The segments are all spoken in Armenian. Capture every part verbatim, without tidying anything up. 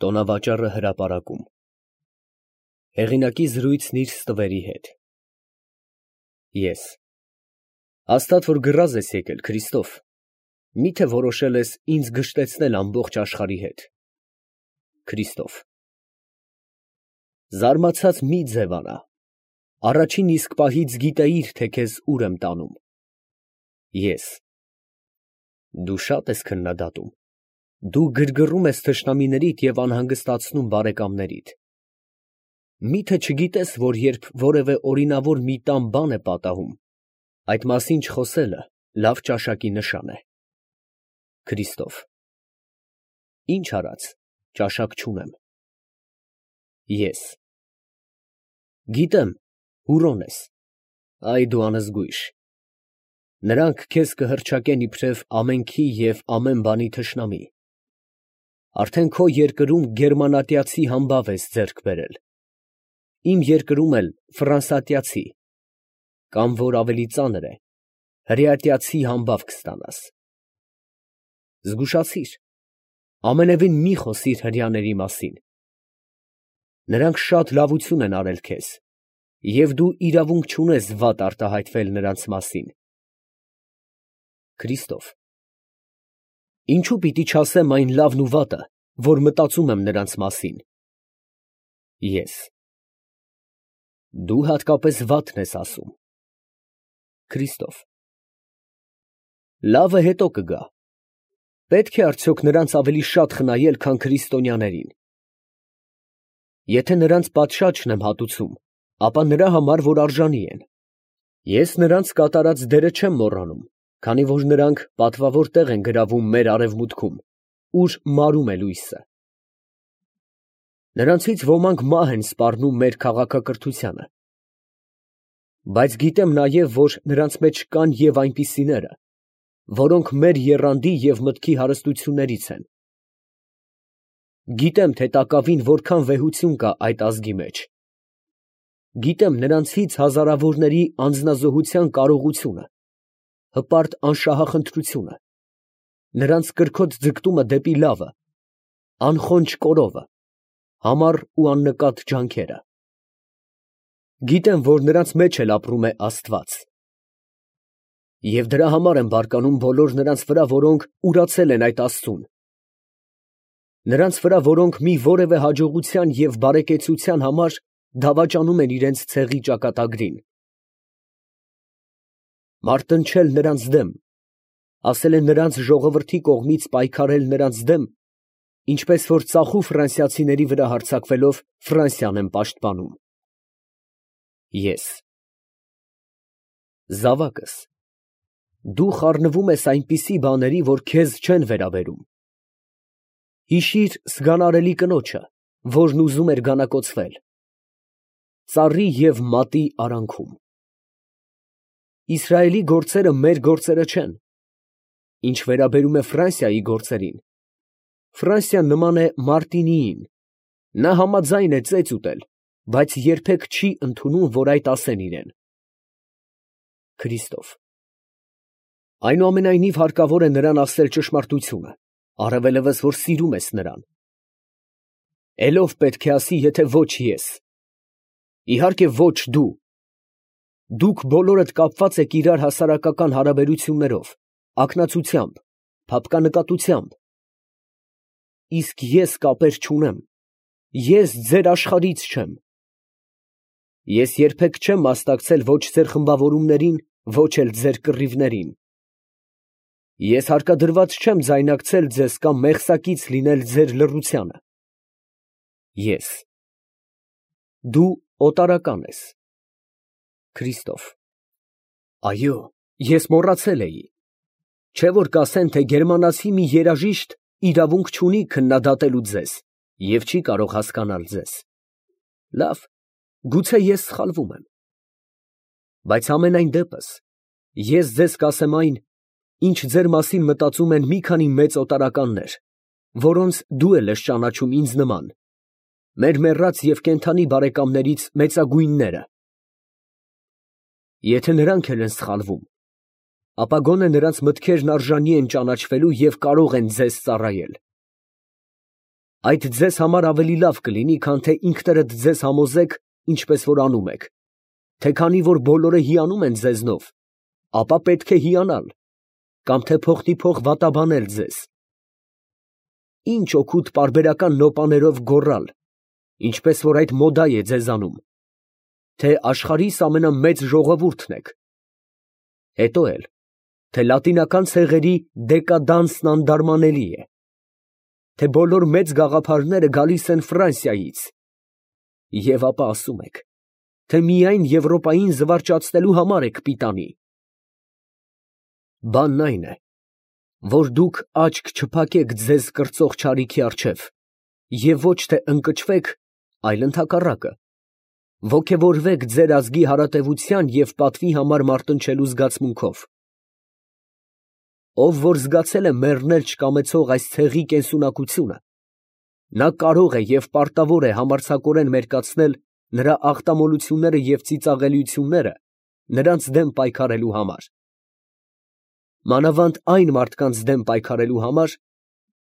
Տոնավաճառը հրապարակում։ Հեղինակի զրույցն իր ստվերի հետ։ Ես հաստատ որ գրազ ես եկել, Քրիստոֆ, մի՞թե որոշել ես ինձ գժտեցնել ամբողջ աշխարհի հետ։ Քրիստոֆ զարմացած մի ձևանա, առաջին իսկ պահից գիտեիր, թե քեզ ուր եմ տանում։ Ես դու շատ ես քննադատում, դու գրգռում ես թշնամիներիդ և անհանգստացնում բարեկամներիդ։ Մի՞թե չգիտես, որ երբ որևէ օրինավոր մի տան բան է պատահում, այդ մասին չխոսելը լավ ճաշակի նշան է։ Քրիստոֆ ինչ արած, ճաշակ չունեմ։ Ես գիտեմ, հուրոն ես, այ դու անզգույշ։ Նրանք քեզ կհռչակեն իբրև ամենքի և ամեն բանի թշնամի։ Արդեն քո երկրում գերմանատյացի համբավ ես ձեռք բերել, իմ երկրում էլ ֆրանսատյացի, կամ որ ավելի ծանր է, հրեատյացի համբավ կստանաս։ Զգուշացիր, ամենևին մի խոսիր հրեաների մասին։ Նրանք շատ լավություն են արել քեզ, և դու իրավունք չունես վատ արտահայտվել նրանց մասին։ Քրիստոֆ ինչո՞ւ պիտի չասեմ այն լավն ու վատը, որ մտածում եմ նրանց մասին։ Ես դու հատկապես վատն ես ասում։ Քրիստոֆ լավը հետո կգա։ Պետք է արդյոք նրանց ավելի շատ խնայել, քան քրիստոնյաներին։ Եթե նրանց պատշաճ չեմ հատուցում, ապա նրա համար, որ արժանի են։ Ես նրանց կատարած դերը չեմ մոռանում, քանի որ նրանք պատվավոր տեղ են գրավում մեր արևմուտքում, ուր մարում է լույսը։ Նրանցից ոմանք մահ են սպառնում մեր քաղաքակրթությանը։ Բայց գիտեմ նաև, որ նրանց մեջ կան և այնպիսիները, որոնք մեր եռանդի և մտքի հարստություններից են։ Գիտեմ, թե տակավին որքան վեհություն կա այդ ազգի մեջ։ Գիտեմ նրանցից հազարավորների անձնազոհության կարողությունը, հպարտ անշահախնդրությունը, նրանց կրքոտ ձգտումը դեպի լավը, անխոնջ կորովը, համառ ու աննկատ ջանքերը։ Գիտեմ, որ նրանց մեջ էլ ապրում է Աստված։ Եվ դրա համար եմ բարկանում բոլոր նրանց վրա, որոնք ուրացել են այդ Աստծուն։ Նրանց վրա, որոնք մի որևէ հաջողության և բարեկեցության համար դավաճանում են իրենց ցեղի ճակատագրին։ Մարտնչել նրանց դեմ, ասել են նրանց ժողովրդի կողմից պայքարել նրանց դեմ, ինչպես որ ծախու ֆրանսիացիների վրա հարձակվելով Ֆրանսիան եմ պաշտպանում։ Ես զավակս, դու խառնվում ես այնպիսի բաների, որ քեզ չեն վերաբերում։ Հիշիր սգանարելի կնոջը, որն ուզում էր գանակոծվել, ծառի և մատի արանքում։ Իսրայելի գործերը մեր գործերը չեն։ Ինչ վերաբերում է Ֆրանսիայի գործերին, Ֆրանսիան նման է Մարտինիին, նա համաձայն է ծեծ ուտել, բայց երբեք չի ընդունում, որ այդ ասեն իրան։ Քրիստոֆ այնուամենայնիվ հարկավոր է նրան ասել ճշմարտությունը, առավելևս, որ սիրում ես նրան։ Էլ ով պետք է ասի, եթե ոչ ես։ Իհարկե ոչ դու։ Դուք բոլորդ կապված եք իրար հասարակական հարաբերություններով, ակնացությամբ, փափկանկատությամբ։ Իսկ ես կապեր չունեմ, ես ձեր աշխարհից չեմ։ Ես երբեք չեմ մասնակցել ոչ ձեր խմբավորումներին, ոչ էլ ձեր կռիվներին։ Ես հարկադրված չեմ ձայնակցել ձեզ կամ մեղսակից լինել ձեր լռությանը։ Ես դու օտարական ես։ Քրիստոֆ այո, ես մոռացել էի։ Չէ՞ որ կասեն, թե գերմանացի մի երաժիշտ իրավունք չունի քննադատելու ձեզ և չի կարող հասկանալ ձեզ։ Լավ, գուցե ես սխալվում եմ։ Բայց համենայն դեպս, ես ձեզ կասեմ այն, ինչ ձեր մասին մտածում են մի քանի մեծ օտարականներ, որոնց դու էլ ես ճանաչում ինձ նման, մեր մեռած և կենդանի բարեկամներից մեծագույնները։ Եթե նրանք էլ են սխալվում, ապա գոնե նրանց մտքերն արժանի են ճանաչվելու և կարող են ձեզ ծառայել։ Այդ ձեզ համար ավելի լավ կլինի, քան թե ինքներդ ձեզ համոզեք, ինչպես որ անում եք, թե քանի որ բոլորը հիանում են ձեզնով, ապա պետք է հիանալ, կամ թե փոխնիփոխ վատաբանել ձեզ։ Ինչ օգուտ պարբերական նոպաներով գոռալ, ինչպես որ այդ մոդա է ձեզանում, թե աշխարհիս ամենամեծ ժողովուրդն եք, հետո էլ, թե լատինական ցեղերի դեկադանսն անդարմանելի է, թե բոլոր մեծ գաղափարները գալիս են Ֆրանսիայից, և ապա ասում եք, թե միայն Եվրոպային զվարճացնելու համար եք պիտանի։ Բանն այն է, որ դուք աչք չփակեք ձեզ կրծող չարիքի առջև և ոչ թե ընկճվեք, այլ ընդհակառակը, ոգևորվեք ձեր ազգի հարատևության և պատվի համար մարտնչելու զգացմունքով։ Ով որ զգացել է մեռնել չկամեցող այս ցեղի կենսունակությունը, նա կարող է և պարտավոր է համարձակորեն մերկացնել նրա աղտամոլությունները և ծիծաղելիությունները նրանց դեմ պայքարելու համար, մանավանդ այն մարդկանց դեմ պայքարելու համար,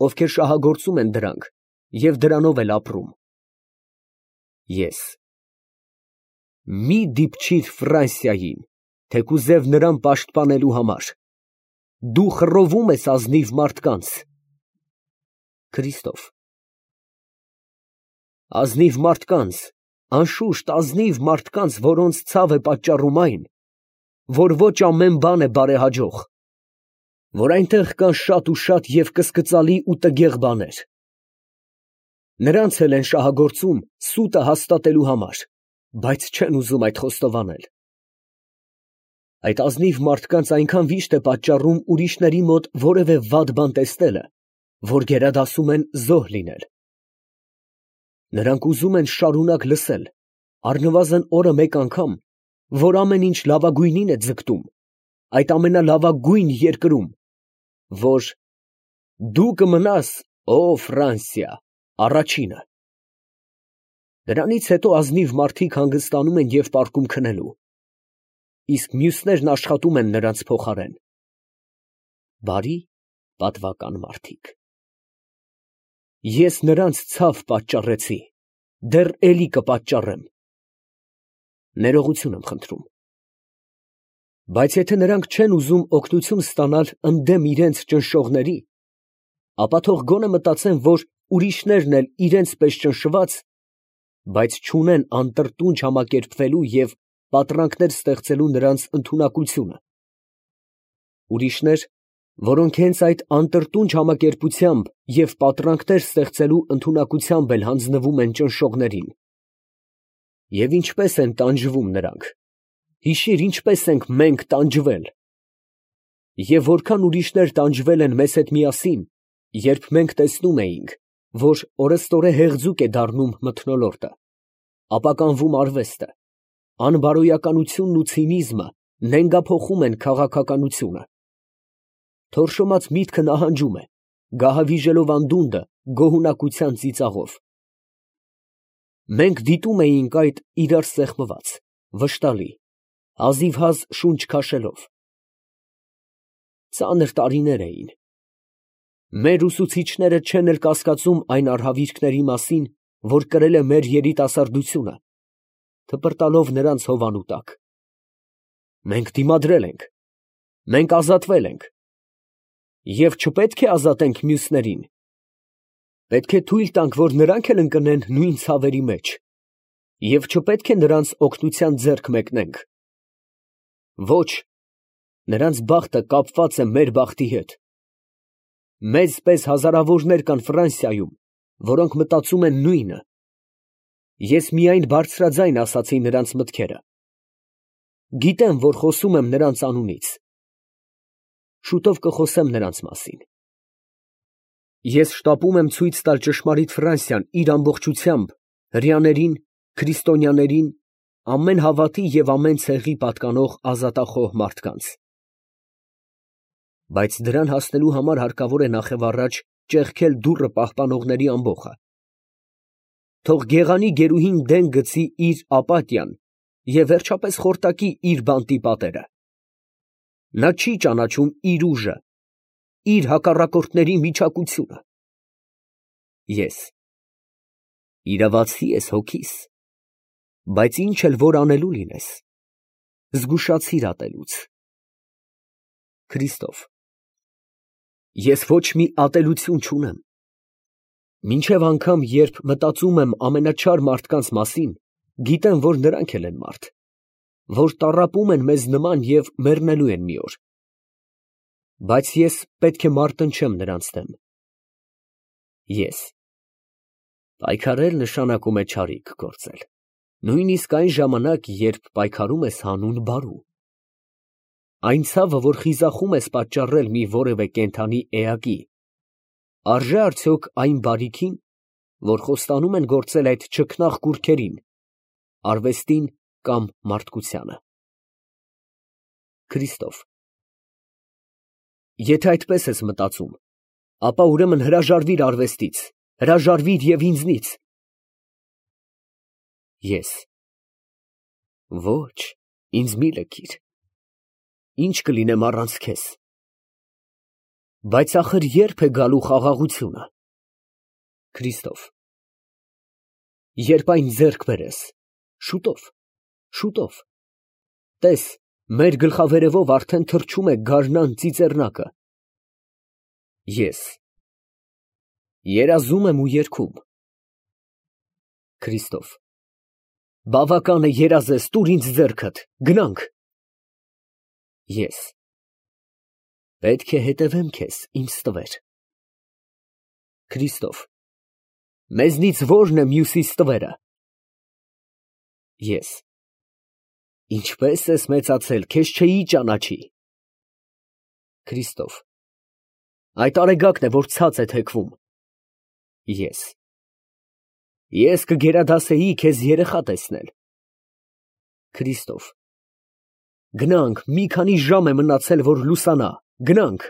ովքեր շահագործում են դրանք և դրանով էլ ապրում։ Ես մի դիպչիր Ֆրանսիային, թեկուզև նրան պաշտպանելու համար, դու խռովում ես ազնիվ մարդկանց։ Քրիստոֆ Ազնիվ մարդկանց, անշուշտ ազնիվ մարդկանց, որոնց ցավ է պատճառում այն, որ ոչ ամեն բան է բարեհաջող, որ այնտեղ կան շատ ու շատ և կսկծալի ու տգեղ բաներ։ Նրանց էլ են շահագործում սուտը հաստատելու համար, բայց չեն ուզում այդ խոստովանել։ Այդ ազնիվ մարդկանց այնքան վիշտ է պատճառում ուրիշների մոտ որևէ վատ բան տեսնելը, որ գերադասում են զոհ լինել։ Նրանք ուզում են շարունակ լսել, առնվազն օրը մեկ անգամ, որ ամեն ինչ լավագույնին է ձգտում, այդ ամենալավագույն երկրում, որ դու կմնաս, ո Ֆրանսիա, առաջինը։ Դրանից հետո ազնիվ մարդիկ հանգստանում են և պառկում քնելու, իսկ մյուսներն աշխատում են նրանց փոխարեն։ Բարի, պատվական մարդիկ։ Ես նրանց ցավ պատճառեցի, դեռ էլի կպատճառեմ։ Ներողություն եմ խնդրում։ Բայց եթե նրանք չեն ուզում օգնություն ստանալ ընդդեմ իրենց ճնշողների, ապա թող գոնե մտածեն, որ ուրիշներն էլ իրենց պես ճնշված, բայց չունեն անտրտունջ համակերպվելու և պատրանքներ ստեղծելու նրանց ընդունակությունը։ Ուրիշներ, որոնք հենց այդ անտրտունջ համակերպությամբ և պատրանքներ ստեղծելու ընդունակությամբ էլ հանձնվում են ճնշողներին։ Եվ ինչպես են տանջվում նրանք, հիշիր, ինչպես ենք մենք տանջվել։ Եվ որքան ուրիշներ տանջվել են մեզ հետ միասին, երբ մենք տեսնում էինք, որ օրըստօրե հեղձուկ է դառնում մթնոլորտը, ապականվում արվեստը, անբարոյականությունն ու ցինիզմը նենգափոխում են քաղաքականությունը։ Թորշոմած միտքը նահանջում է, գահավիժելով անդունդը գոհունակության ծիծաղով։ Մենք դիտում էինք այդ իրար սեղմված, վշտալի, հազիվհազ շունչ քաշելով։ Ծանր տարիներ էին։ Մեր ուսուցիչները չեն էլ կասկածում այն արհավիրքների մասին, որ կրել է մեր երիտասարդությունը, թպրտալով նրանց հովանու տակ։ Մենք դիմադրել ենք, մենք ազատվել ենք։ Եվ չպետք է ազատենք մյուսներին։ Պետք է թույլ տանք, որ նրանք էլ ընկնեն նույն ցավերի մեջ, և չպետք է նրանց օգնության ձեռք մեկնենք։ Ոչ, նրանց բախտը կապված է մեր բախտի հետ։ Մեզ պես հազարավորներ կան Ֆրանսիայում, որոնք մտածում են նույնը։ Ես միայն բարձրաձայն ասացի նրանց մտքերը։ Գիտեմ, որ խոսում եմ նրանց անունից։ Շուտով կխոսեմ նրանց մասին։ Ես շտապում եմ ցույց տալ ճշմարիտ Ֆրանսիան իր ամբողջությամբ հրեաներին, քրիստոնյաներին, ամեն հավատի և ամեն ցեղի պատկանող ազատախոհ մարդկանց։ Բայց դրան հասնելու համար հարկավոր է նախևառաջ ճեղքել դուռը պահպանողների ամբոխը։ Թող գեղանի գերուհին դեն գցի իր ապատիան և վերջապես խորտակի իր բանտի պատերը։ Նա չի ճանաչում իր ուժը, իր հակառակորդների միջակությունը։ Ես Իրավացի ես հոգիս, բայց ինչ էլ որ անելու լինես, զգուշացիր ատելուց։ Քրիստոֆ, ես ոչ մի ատելություն չունեմ, մինչև անգամ երբ մտածում եմ ամենաչար մարդկանց մասին, գիտեմ, որ նրանք էլ են մարդ, որ տառապում են մեզ նման և մեռնելու են մի օր, բայց ես պետք է մարտնչեմ նրանց դեմ։ Ես պայքարել նշանակում է չարիք գործել, նույնիսկ այն ժամանակ, երբ պայքարում ես հանուն բարու։ Այն ցավը, որ խիզախում ես պատճառել մի որևէ կենդանի էակի, արժե արդյոք այն բարիքին, որ խոստանում են գործել այդ չքնաղ կուռքերին, արվեստին կամ մարդկությանը։ Քրիստոֆ, եթե այդպես ես մտածում, ապա ուրեմն հրաժարվիր արվեստից, հրաժարվիր և ինձնից։ Ես ոչ, ինձ մի լքիր, ինչ կլինեմ առանց քեզ։ Բայց ախր ե՞րբ է գալու խաղաղությունը։ Քրիստոֆ, երբ այն ձեռք բերես, շուտով, շուտով, տես, մեր գլխավերևով արդեն թռչում է գարնան ծիծեռնակը։ Ես երազում եմ ու երգում։ Քրիստոֆ, բավական է երազես, տուր ինձ ձեռքդ, գնանք։ Ես պետք է հետևեմ քեզ, իմ ստվեր։ Քրիստոֆ, մեզնից ո՞րն է մյուսի ստվերը։ Ես ինչպես ես մեծացել, քեզ չէի ճանաչի։ Քրիստոֆ, այդ արեգակն է, որ ցած է թեքվում։ Ես ես կգերադասեի քեզ երեխա տեսնել։ Քրիստոֆ, գնանք, մի քանի ժամ է մնացել, որ լուսանա, գնանք։